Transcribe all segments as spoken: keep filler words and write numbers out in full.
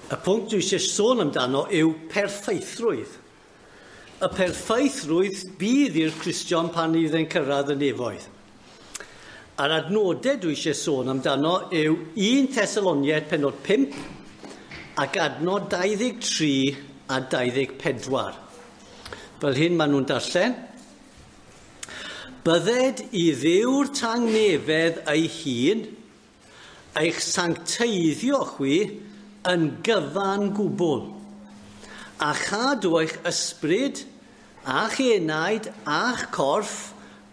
Y pwnc dwi eisiau sôn amdano yw perffeithrwydd. Y perffeithrwydd bydd i'r Cristion pan fydd e'n cyrraedd y nefoedd. A'r adnodau dwi eisiau sôn amdano yw un Thessaloniaid pennod pump ac adnod dau ddeg tri a dau ddeg pedwar. Fel hyn maen nhw'n darllen. Bydded i Dduw'r tangnefedd ei hun, eich sancteiddio chwi yn gyfan gwbl, a chadw eich ysbryd, a'ch enaid, a'ch corff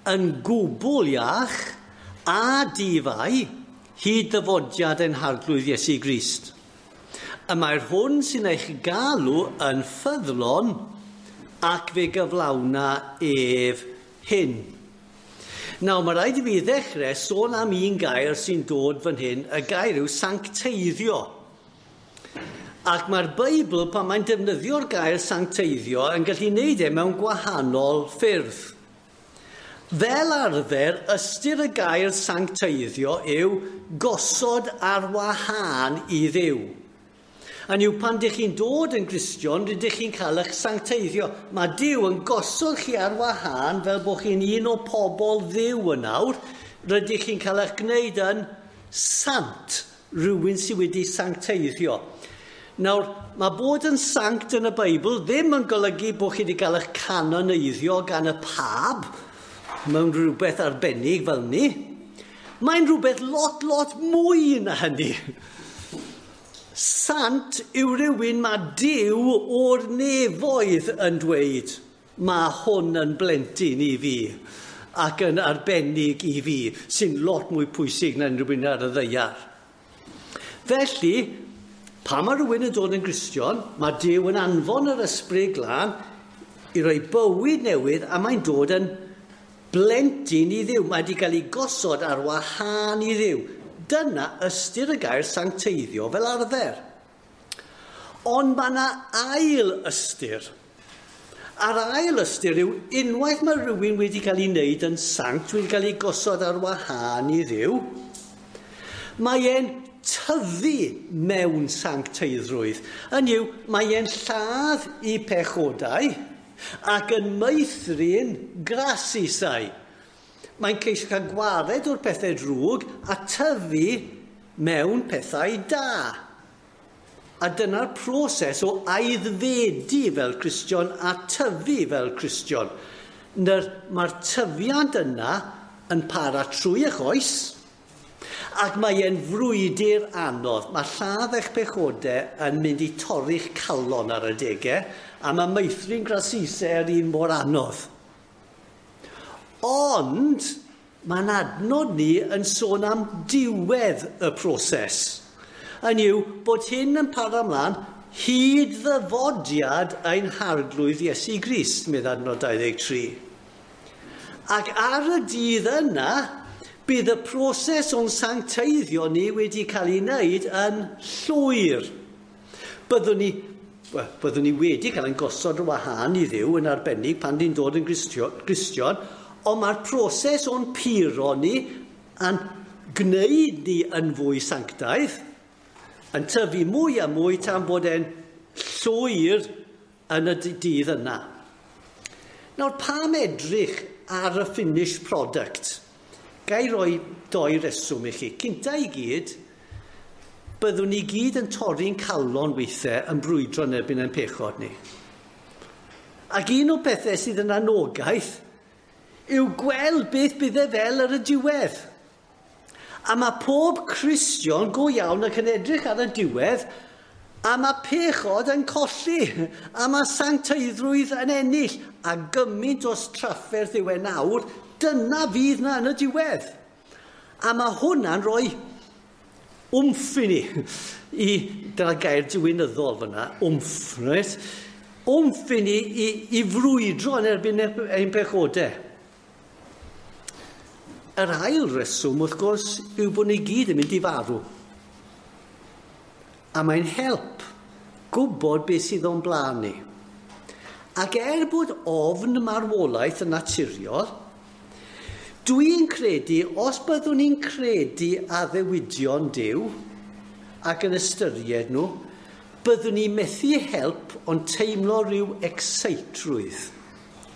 yn gwbl iach a difai hyd ddyfodiad ein Harglwydd Iesu Grist. Y mae'r hwn sy'n eich galw yn ffyddlon ac fe gyflawna ef hyn. Nawr, mae rhaid i fi ddechrau sôn am un gair sy'n dod fan hyn, y gair yw sancteiddio. Ac mae'r Beibl, pan mae'n defnyddio'r gair sancteiddio, yn gallu wneud e mewn gwahanol ffyrdd. Fel arfer, ystyr y gair sancteiddio yw gosod ar wahân i Dduw. A yw pan dych chi'n dod yn Gristion, rydych chi'n cael eich sancteiddio. Mae Duw yn gosod chi ar wahân fel bod chi'n un o pobl Dduw yn awr. Rydych chi'n cael eich gwneud yn sant, rhywun sydd wedi sancteiddio. Nawr, mae bod yn sanct yn y Beibl ddim yn golygu bod chi wedi cael eich canoneiddio gan y pab mewn rhywbeth arbennig fel ni. Mae'n rhywbeth lot, lot mwy na hynny. Sant yw rhywun mae Duw o'r nefoedd yn dweud, mae hwn yn blentyn i fi ac yn arbennig i fi, sy'n lot mwy pwysig na unrhyw un ar y ddaear. Felly, pan mae rhywun yn dod yn Gristion, mae Duw yn anfon yr Ysbryd Glân i roi bywyd newydd a mae'n dod yn blentyn i Dduw. Mae wedi cael ei gosod ar wahân i Dduw. Dyna ystyr y gair sancteiddio fel arfer. Ond mae yna ail ystyr. A'r ail ystyr yw unwaith mae rhywun wedi cael ei wneud yn sanct, wedi cael ei gosod ar wahân i Dduw, mae e'n tyfu mewn sancteiddrwydd. Hynny yw, mae e'n lladd i pechodau ac yn meithrin grasusau. Mae'n ceisio cael gwared o'r pethau drwg a tyfu mewn pethau da. A dyna'r proses o aeddfedu fel Cristion a tyfu fel Cristion. Mae'r tyfiant yna yn para trwy eich oes, ac mae e'n frwydr anodd. Mae lladd eich pechodau yn mynd i torri'ch calon ar adegau, a mae meithrin grasusau yr un mor anodd. Ond mae'n adnod ni yn sôn am diwedd y proses. Hynny yw bod hyn yn para ymlaen hyd ddyfodiad ein Harglwydd Iesu Grist, medd adnod dau ddeg tri. Ac ar y dydd yna, bydd y proses o'n sancteiddio ni wedi cael ei wneud yn llwyr. Byddwn ni, well, byddwn ni wedi cael ein gosod ar wahân i Dduw yn arbennig pan ni'n dod yn Gristion, ond mae'r proses o'n puro ni a'n gwneud ni yn fwy sanctaidd, yn tyfu mwy a mwy tan bod e'n llwyr yn y dydd yna. Nawr, pam edrych ar y finished product? Ga i roi doi reswm i chi. Cynta i gyd, byddwn ni gyd yn torri'n calon weithiau yn brwydro yn erbyn ein pechod ni. Ac un o'r pethau sydd yn anogaeth yw gweld beth bydd e fel ar y diwedd. A mae pob Cristion go iawn ac yn edrych ar y diwedd, a mae pechod yn colli, a mae sancteiddrwydd yn ennill, a gymaint o trafferth yw e nawr, dyna fydd na yn y diwedd. A mae hwnna'n rhoi wmff i ni, i, dyna gair diwinyddol fyna, wmff, reit? Wmff i ni i, i frwydro yn erbyn ein pechodau. Yr ail reswm, wrth gwrs, yw bod ni gyd yn mynd i farw. A mae'n help gwybod beth sydd o'n blaen ni. Ac er bod ofn marwolaeth yn naturiol, dwi'n credu, os byddwn ni'n credu addewidion Duw ac yn ystyried nhw, Byddwn ni methu help ond teimlo rhyw exceitrwydd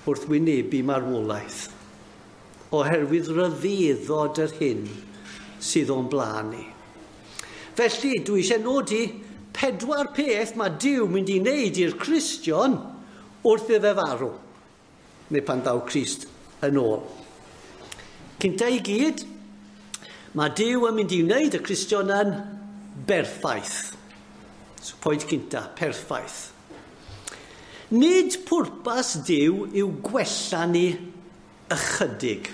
wrth wynebu marwolaeth, oherwydd rhyfeddod yr hyn sydd o'n blaen ni. Felly, dwi eisiau nodi pedwar peth mae Duw mynd i wneud i'r Cristion wrth iddo fe farw, neu pan ddaw Crist yn ôl. Cynta i gyd, mae Duw yn mynd i wneud y Cristion yn berffaith. So, pwynt cynta, perffaith. Nid pwrpas Duw yw gwella ni ychydig.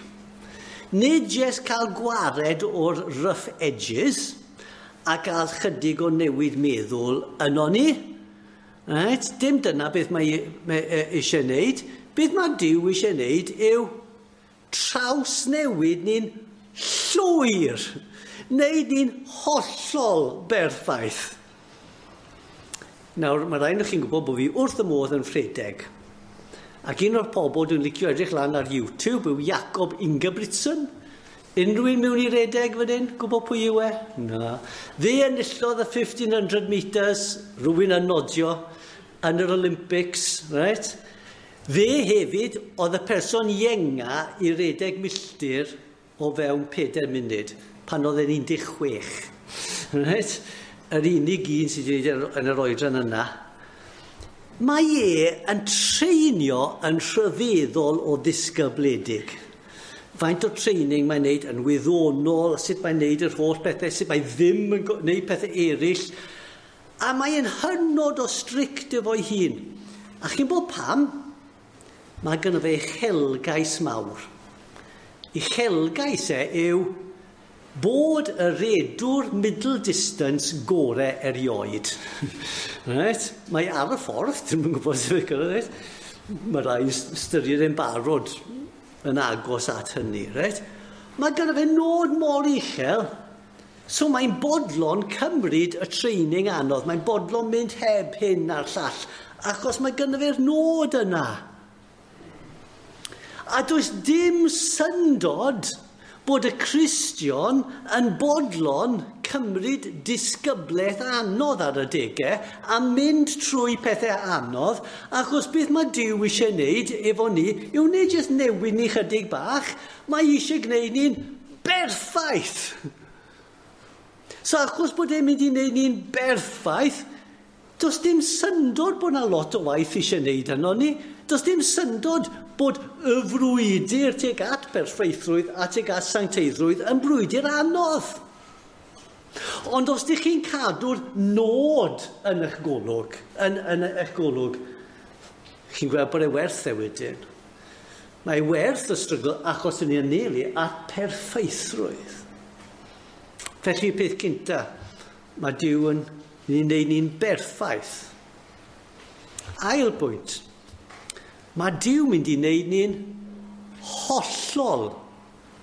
Nid jyst cael gwared o'r rough edges a gael chydig o newid meddwl yno ni. Right? Dim dyna beth mae, mae eisiau wneud. Beth mae Duw eisiau wneud yw trawsnewid ni'n llwyr. Wneud ni'n hollol berffaith. Nawr, mae rhaid chi'n gwybod bod fi wrth y modd yn rhedeg. Ac un o'r pobl dwi'n licio edrych lan ar YouTube yw Jakob Ingebrigtsen. Unrhyw un mewn i redeg fan hyn? Gwybod pwy yw e? Na. Fe enillodd y fifteen hundred metres, rhywun yn nodio, yn yr Olympics, right? Fe hefyd oedd y person ienga i redeg milltir o fewn pedair munud, pan oedd e'n un deg chwech. Right? Yr unig un sydd wedi gwneud yn yr oedran yna. Mae e yn treinio yn rhyfeddol o ddisgybledig. Faint o training mae'n neud yn wyddonol, sut mae'n neud yr holl bethau, sut mae ddim yn neud pethau eraill. A mae'n hynod o strict efo'i hun. A chi'n bod pam? Mae gynno fe uchelgais mawr. Uchelgais e yw bod y redwr middle distance gore erioed. Right? Mae ar y ffordd, dwi'm yn gwybod sut mae'n gyrraedd. Mae rai ystyried e'n barod yn agos at hynny. Right? Mae gynno fe nod mor uchel, so mae'n bodlon cymryd y training anodd. Mae'n bodlon mynd heb hyn a'r llall, achos mae gynno fe'r nod yna. A does dim syndod bod y Cristion yn bodlon cymryd disgyblaeth anodd ar y degau a mynd trwy pethau anodd, achos beth mae Duw eisiau wneud efo ni yw nid jyst newid ni chydig bach, mae eisiau gwneud ni'n berffaith. So achos bod e'n mynd i wneud ni'n berffaith, does dim syndod bod yna lot o waith eisiau wneud yno ni. Does dim syndod bod y frwydr tuag at berffeithrwydd a tuag at sancteiddrwydd yn brwydr anodd. Ond os ydych chi'n cadw'r nod yn eich golwg, yn, yn eich golwg, chi'n gweld bod e werth e wedyn. Mae werth y strygl achos yn ei anelu at perffeithrwydd. Felly peth cynta, mae Duw yn ni'n neud ni'n berffaith. Ail bwynt, mae Duw mynd i wneud ni'n hollol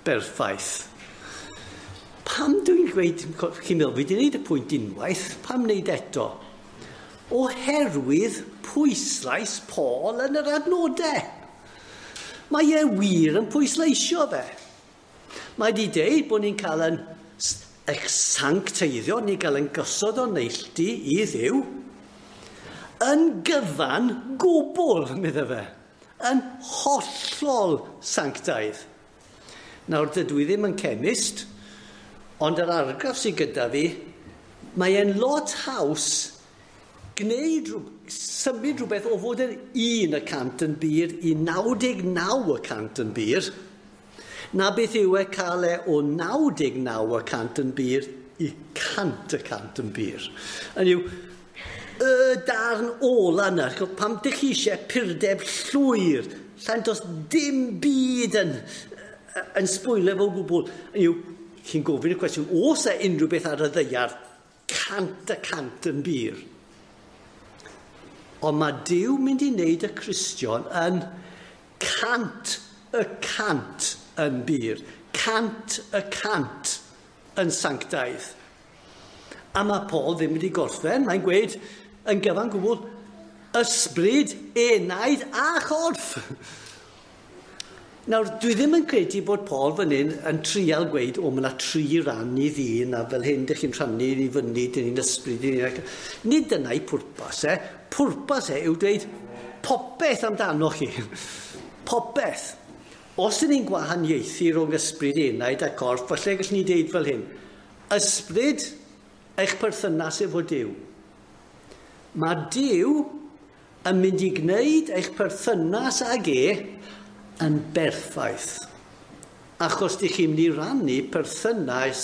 berffaith. Pam dwi'n gweud, chi'n meddwl, fi wedi gwneud y pwynt unwaith, pam wneud eto? Oherwydd pwyslais Paul yn yr adnodau. Mae e wir yn pwysleisio fe. Mae wedi deud bod ni'n cael yn eich sancteiddio, ni'n cael yn gosod o neilltu i Dduw, yn gyfan gwbl, meddai fe, yn hollol sanctaidd. Nawr, dydw i ddim yn chemist, ond yr argraff sydd gyda fi, mae e'n lot haws gwneud, symud rhywbeth o fod yn un y cant yn bur i naw deg naw y cant yn bur, na beth yw e cael e o naw deg naw y cant yn bur i cant y cant yn bur. Hynny yw, y darn ola yna, pam dych chi eisiau purdeb llwyr, lla'n does dim byd yn, yn sbwylio fo gwbl. Hynny yw, chi'n gofyn y cwestiwn, oes e unrhyw beth ar y ddaear cant y cant yn bur? Ond mae Duw mynd i wneud y Cristion yn cant y cant yn bur, cant y cant yn sanctaidd. A mae Paul ddim wedi gorffen, mae'n gweud yn gyfan gwbl, ysbryd, enaid a chorff. Nawr, dwi ddim yn credu bod Paul fan hyn yn trial gweud, o, mae yna tri ran i ddyn, a fel hyn dych chi'n rhannu i fyny, dyn ni'n ysbryd, dyn ni'n... Nid dyna'i pwrpas e. Pwrpas e yw dweud popeth amdano chi. Popeth. Os ydyn ni'n gwahaniaethu rhwng ysbryd, enaid a corff, falle gallwn ni dweud fel hyn. Ysbryd, eich perthynas efo Duw. Mae Duw yn mynd i gwneud eich perthynas ag e yn berffaith. Achos dych chi'n mynd i rannu perthynas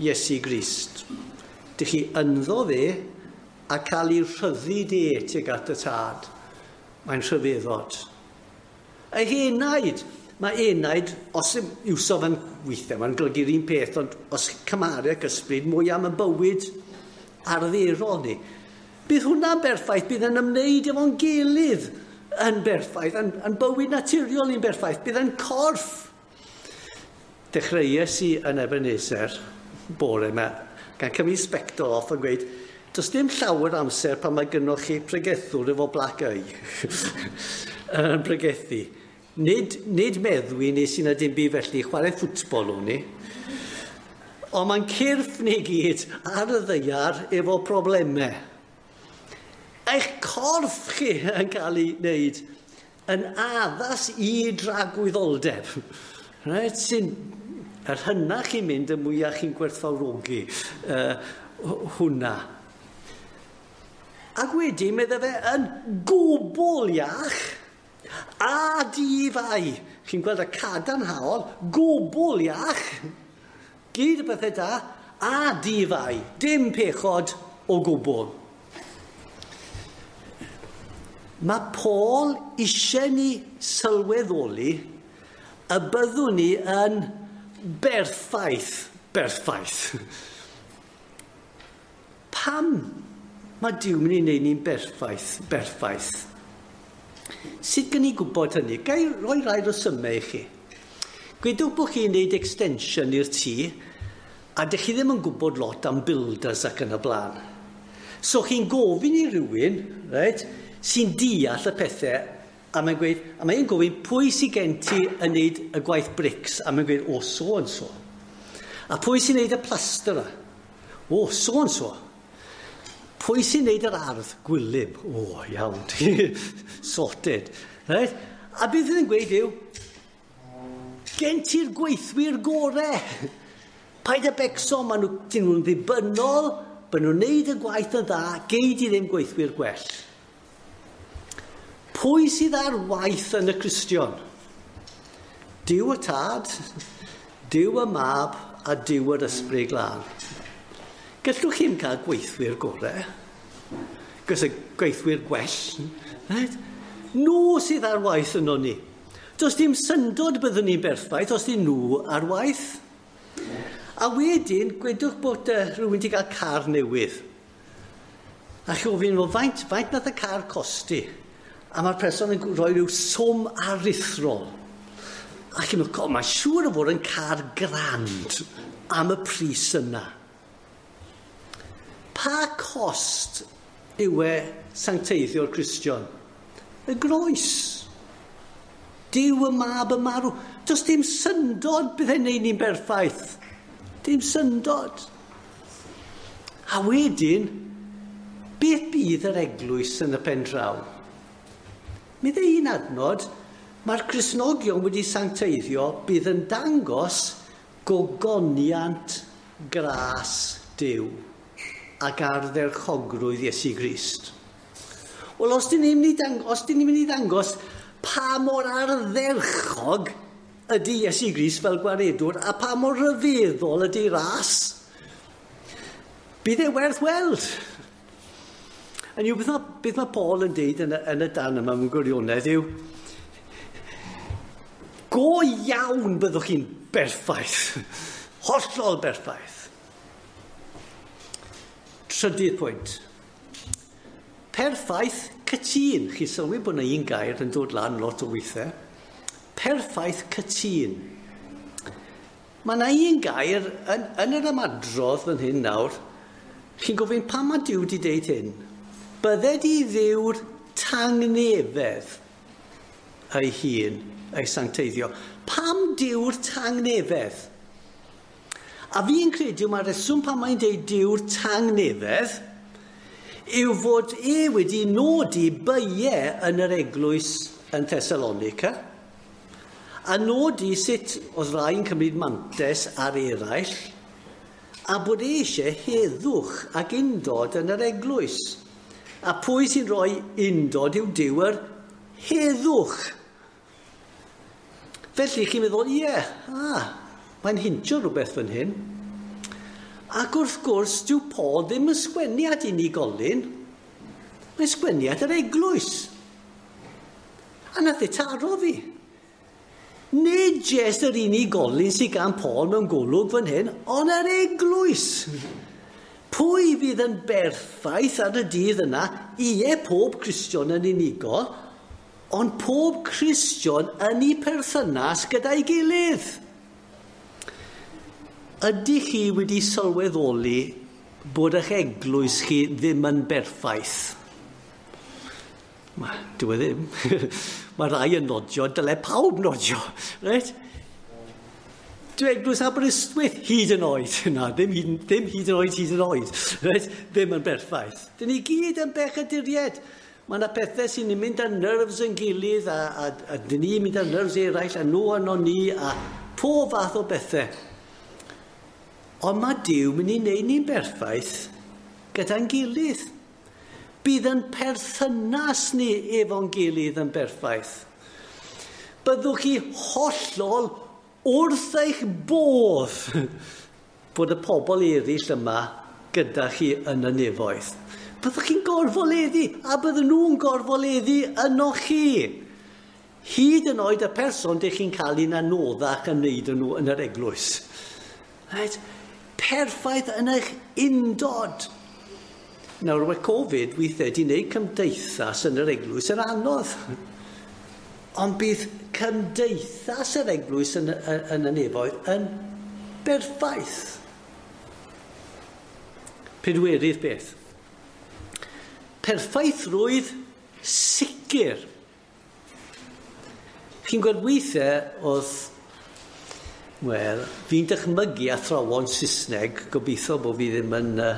Iesu Grist. Dych chi ynddo fe a cael ei rhyddid e tuag at y tad. Mae'n rhyfeddod. Eich enaid, mae enaid, os iwso fe'n weithiau, mae'n golygu'r un peth, ond os cymharu ag ysbryd, mwy am y bywyd arferol ni. Bydd hwnna'n berffaith, bydd yn ymwneud efo'n gilydd yn berffaith, yn, yn bywyd naturiol ni'n berffaith, bydd yn corff. Dechreuais i yn Ebenezer bore yma, gan cymryd sbectol off yn gweud, does dim llawer amser pan mae gynnoch chi pregethwr efo black eye yn pregethu. Nid, nid meddwi nes i na dim byd felly, chwarae ffwtbol o'n i. Ond mae'n cyrff ni gyd ar y ddaear efo problemau. Eich corff chi yn cael ei wneud yn addas i dragwyddoldeb. Right? Sy'n, yr hynna chi'n mynd, y mwyaf chi'n gwerthfawrogi uh, hwnna. Ac wedyn, medde fe, yn gwbl iach a di-fai. Chi'n gweld y cadarnhaol, gwbl iach, gyd y bethau da, a di-fai. Dim pechod o gwbl. Mae Paul eisiau ni sylweddoli y byddwn ni yn berffaith, berffaith. Pam mae Duw mynd i wneud ni'n berffaith, berffaith? Sut gen i gwybod hynny? Ga i roi rai resymau i chi. Gwedwch bod chi'n gwneud extension i'r tŷ, a dych chi ddim yn gwybod lot am builders ac yn y blaen. So chi'n gofyn i rhywun, right, sy'n deall y pethau, a mae'n gweud, a mae'n gofyn pwy sy'n gen ti yn neud y gwaith bricks, a mae'n gweud, o, so and so. A pwy sy'n neud y plaster? O, so and so. Pwy sy'n neud yr ardd? Gwilym. O, iawn. Sorted. Right? A beth yn gweud yw, gen ti'r gweithwyr gore. Paid â becso, maen nhw, dyn nhw'n ddibynnol, maen nhw'n neud y gwaith yn dda, gei di ddim gweithwyr gwell. Pwy sydd ar waith yn y Cristion? Duw y Tad, Duw y Mab a Duw yr Ysbryd Glân. Gallwch chi'm cael gweithwyr gorau, gos y gweithwyr gwell. Right? Nhw sydd ar waith yno ni. Does dim syndod byddwn ni'n berffaith os dyn nhw ar waith. A wedyn, gwedwch bod uh, rhywun wedi cael car newydd. A chi ofyn, well, faint, faint nath y car costi? A mae'r person yn rhoi rhyw swm aruthrol. A chi'n meddwl, mae'n siŵr o fod yn car grand am y pris yna. Pa cost yw e sancteiddio'r Cristion? Y groes. Duw y Mab y marw. Does dim syndod bydd e'n neud ni'n berffaith. Dim syndod. A wedyn, beth bydd yr eglwys yn y pen draw? Mi dde un adnod, mae'r Cristnogion wedi sancteiddio bydd yn dangos gogoniant gras Duw ac ardderchogrwydd Iesu Grist. Wel, os dyn ni'n mynd i dang- os dyn ni'n mynd i ddangos pa mor ardderchog ydy Iesu Grist fel gwaredwr a pa mor rhyfeddol ydy ras, bydd e werth weld. A yw, beth mae, beth mae Paul yn deud yn y, yn y dan yma mewn gwirionedd yw, go iawn byddwch chi'n berffaith, hollol berffaith. Trydydd pwynt. Perffaith cytûn. Chi sylwi bod yna un gair yn dod lan lot o weithiau. Perffaith cytûn. Mae yna un gair yn, yn yr ymadrodd fan hyn nawr. Chi'n gofyn pam mae Duw wedi deud hyn? Bydded i Dduw'r tangnefedd ei hun ei sancteiddio. Pam Duw'r tangnefedd? A fi'n credu mae'r reswm pam mae'n deud Duw'r tangnefedd yw fod e wedi nodi beiau yn yr eglwys yn Thessalonica a nodi sut oedd rai yn cymryd mantes ar eraill a bod e eisiau heddwch ac undod yn yr eglwys. A pwy sy'n rhoi undod yw Duw yr heddwch. Felly chi'n meddwl, ie, ah, mae'n hintio rhywbeth fan hyn. Ac wrth gwrs, dyw Paul ddim yn sgwennu at unigolyn, mae'n sgwennu at yr eglwys. A nath e taro fi. Nid jest yr unigolyn sydd gan Paul mewn golwg fan hyn, ond yr eglwys. Pwy fydd yn berffaith ar y dydd yna? Ie, pob Cristion yn unigol, ond pob Cristion yn ei perthynas gyda'i gilydd. Ydych chi wedi sylweddoli bod eich eglwys chi ddim yn berffaith? Ma, dyw e ddim. Mae rai yn nodio, dyle pawb nodio. Right? Dyw eglwys Aberystwyth hyd yn oed. Na, ddim hyd, ddim hyd yn oed, hyd yn oed. Right? Ddim yn berffaith. Dyn ni gyd yn bechaduriaid. Mae yna pethau sy'n mynd ar nerves yn gilydd, a, a, a dyn ni'n mynd ar nerves eraill, a nhw arno ni, a pob fath o bethau. Ond mae Duw mynd i wneud ni'n berffaith gyda'n gilydd. Bydd yn perthynas ni efo'n gilydd yn berffaith. Byddwch chi hollol wrth eich bodd bod y pobl eraill yma gyda chi yn y nefoedd. Byddwch chi'n gorfoleddu, a bydden nhw'n gorfoleddu yno chi. Hyd yn oed y person dych chi'n cael un anoddach yn wneud nhw yn yr eglwys. Right? Perffaith yn eich undod. Nawr, mae Covid weithiau wedi gwneud cymdeithas yn yr eglwys yn anodd. Ond bydd cymdeithas yr eglwys yn, yn, yn y nefoedd yn berffaith. Pedwerydd beth. Perffaithrwydd sicr. Chi'n gweld weithiau oedd, wel, fi'n dychmygu athrawon Saesneg, gobeithio bod fi ddim yn, uh,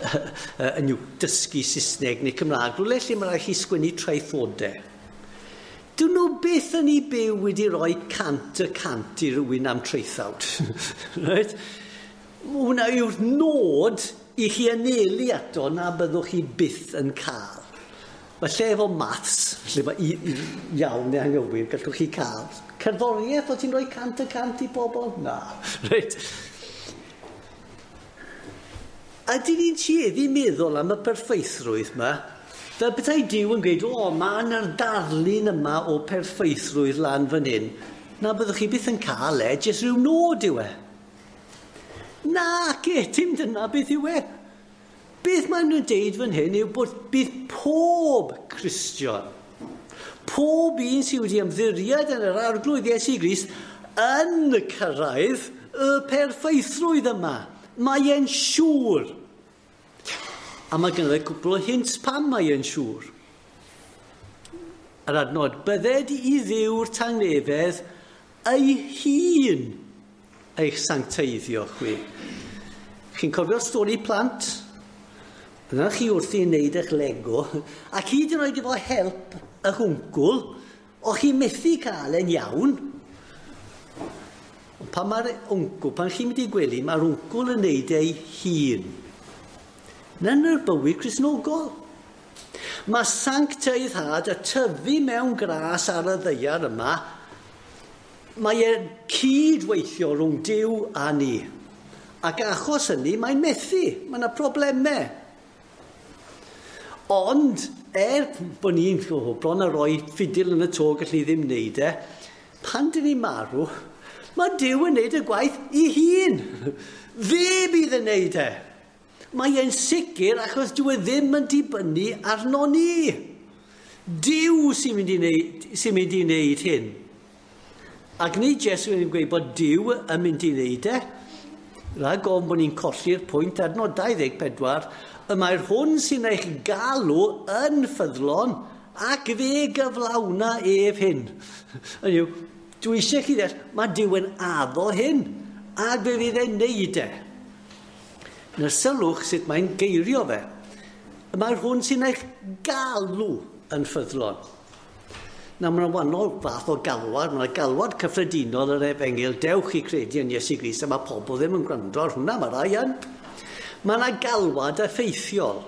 uh, yn dysgu Saesneg neu Cymraeg, rhywle lle mae rhaid chi sgwennu traethodau. Dyn nhw byth yn ei byw wedi rhoi cant y cant i rywun am traethawd. Right? Hwna yw'r nod i chi anelu ato na byddwch chi byth yn cael. Falle efo maths, lle mae i, i, iawn neu anghywir, gallwch chi cael. Cerddoriaeth, o ti'n rhoi cant y cant i bobl? Na. Reit. A dyn ni'n tueddu meddwl am y perffeithrwydd yma, fel petai Duw yn gweud, o, mae yna'r darlun yma o perffeithrwydd lan fan hyn. Na byddwch chi byth yn cael e, jyst rhyw nod yw e. Na, ce, dim dyna beth yw e. Beth maen nhw'n deud fan hyn yw bod bydd pob Cristion, pob un sydd wedi ymddiried yn yr Arglwydd Iesu Grist yn cyrraedd y perffeithrwydd yma. Mae e'n siŵr. A mae gynno fe cwpl o hints pam mae e'n siŵr. Yr adnod, bydded i Dduw'r tangnefedd ei hun eich sancteiddio chwi. Chi'n cofio'r stori plant? Yna chi wrthi yn wneud eich Lego, ac hyd yn oed efo help y hwncwl, o'ch chi methu cael e'n iawn. Ond pan mae'r wncwl, pan chi'n mynd i gwely, mae'r wncwl yn wneud ei hun. Na'n yr bywyd Cristnogol. Mae sancteiddhad y tyfu mewn gras ar y ddaear yma, mae e'n cydweithio rhwng Duw a ni. Ac achos hynny, mae'n methu, mae yna problemau. Ond, er bod ni'n oh, bron a roi ffidil yn y to gallu ddim wneud e, pan dyn ni'n marw, mae Duw yn wneud y gwaith i hun. Fe bydd yn wneud e. Mae e'n sicr achos dyw e ddim yn dibynnu arno ni. Duw sy'n mynd i wneud, sy'n mynd i wneud hyn. Ac nid Iesu yn gweud bod Duw yn mynd i wneud e. Rhag ofn bod ni'n colli'r pwynt adnod dau ddeg pedwar, y mae'r hwn sy'n eich galw yn ffyddlon ac fe gyflawna ef hyn. Hynny yw, Dwi eisiau chi ddeall, mae Duw yn addo hyn, a fe fydd e'n neud e. Nawr sylwch sut mae'n geirio fe. Mae'r hwn sy'n eich galw yn ffyddlon. Nawr, mae'n wahanol fath o galwad, mae'n galwad cyffredinol yr efengyl, dewch i credu yn Iesu Grist, a mae pobl ddim yn gwrando ar hwnna, mae rai yn. Mae yna galwad effeithiol.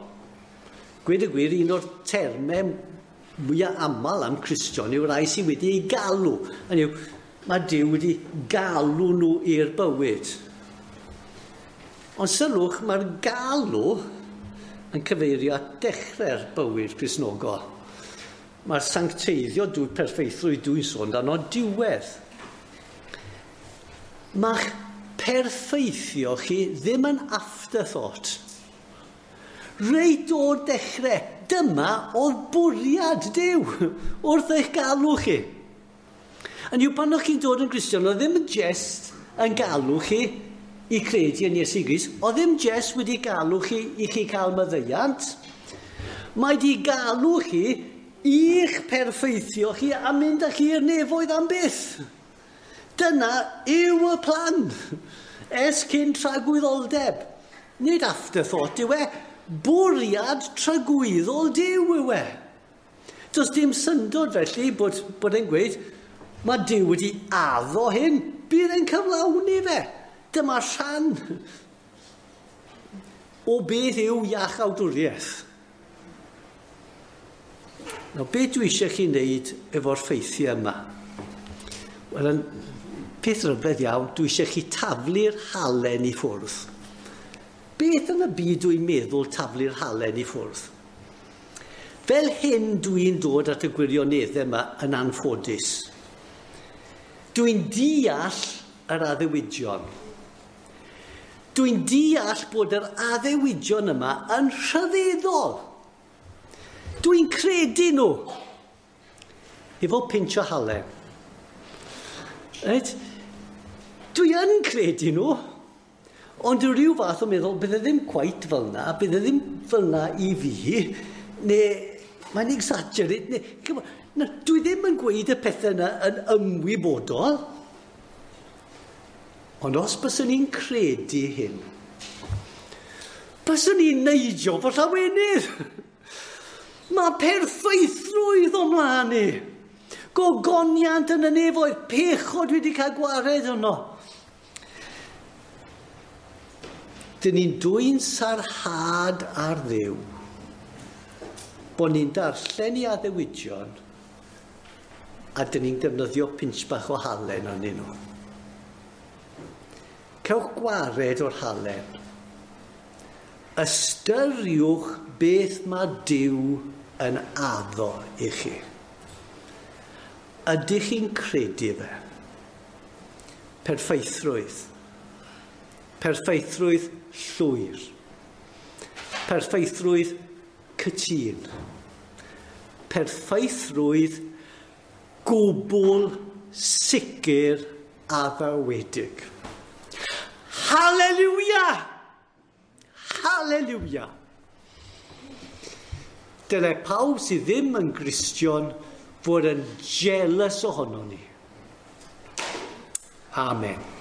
Gweud y gwir, un o'r termau mwyaf aml am Cristion yw'r rai sydd wedi ei galw. Hynny yw, mae Duw wedi galw nhw i'r bywyd. Ond sylwch, mae'r galw yn cyfeirio at dechrau'r bywyd Cristnogol. Mae'r sancteiddio dwy perffeithrwydd dwi'n sôn dan o diwedd. Mae'ch perffeithio chi ddim yn afterthought. Reit o'r dechrau, dyma oedd bwriad Duw wrth eich galw chi. Yn yw pan o'ch chi'n dod yn Gristion, oedd ddim yn jest yn galw chi i credu yn Iesu Grist, oedd ddim jest wedi galw chi i chi cael maddeuant. Mae di galw chi i'ch perffeithio chi a mynd â chi i'r nefoedd am byth. Dyna yw y plan. Ers cyn tragwyddoldeb. Nid afterthought yw e. Bwriad tragwyddol Duw yw e. Does dim syndod felly bod, bod e'n gweud, mae Duw wedi addo hyn, bydd e'n cyflawni fe. Dyma rhan o beth yw iachawdwriaeth. Nawr, beth dwi eisiau chi wneud efo'r ffeithiau yma? Wel, yn peth rhyfedd iawn, dwi eisiau chi taflu'r halen i ffwrdd. Beth yn y byd dwi'n meddwl taflu'r halen i ffwrdd? Fel hyn dwi'n dod at y gwirioneddau yma yn anffodus. Dwi'n deall yr addewidion. Dwi'n deall bod yr addewidion yma yn rhyfeddol. Dwi'n credu nhw. Efo pinch o halen. Right? Dwi yn credu nhw. Ond yw rhyw fath o meddwl, bydde ddim quite fel na, bydde ddim fel na i fi, neu mae'n exaggerate, neu, come on, na, dwi ddim yn gweud y pethau yna yn ymwybodol. Ond os byswn i'n credu hyn, byswn i'n neidio fy llawenydd. Mae perffeithrwydd o mlaen i. Gogoniant yn y nefoedd, pechod wedi cael gwared yno. Dyn ni'n dwyn sarhad ar Dduw, bod ni'n darllen i addewidion, a dyn ni'n defnyddio pinch bach o halen arnyn nhw. Cewch gwared o'r halen. Ystyriwch beth mae Duw yn addo i chi. Ydych chi'n credu fe? Perffeithrwydd. Perffeithrwydd llwyr. Perffeithrwydd cytûn. Perffeithrwydd gwbl sicr addawedig. Hallelujah! Hallelujah! Dyle pawb sydd ddim yn Gristion fod yn jealous ohono ni. Amen.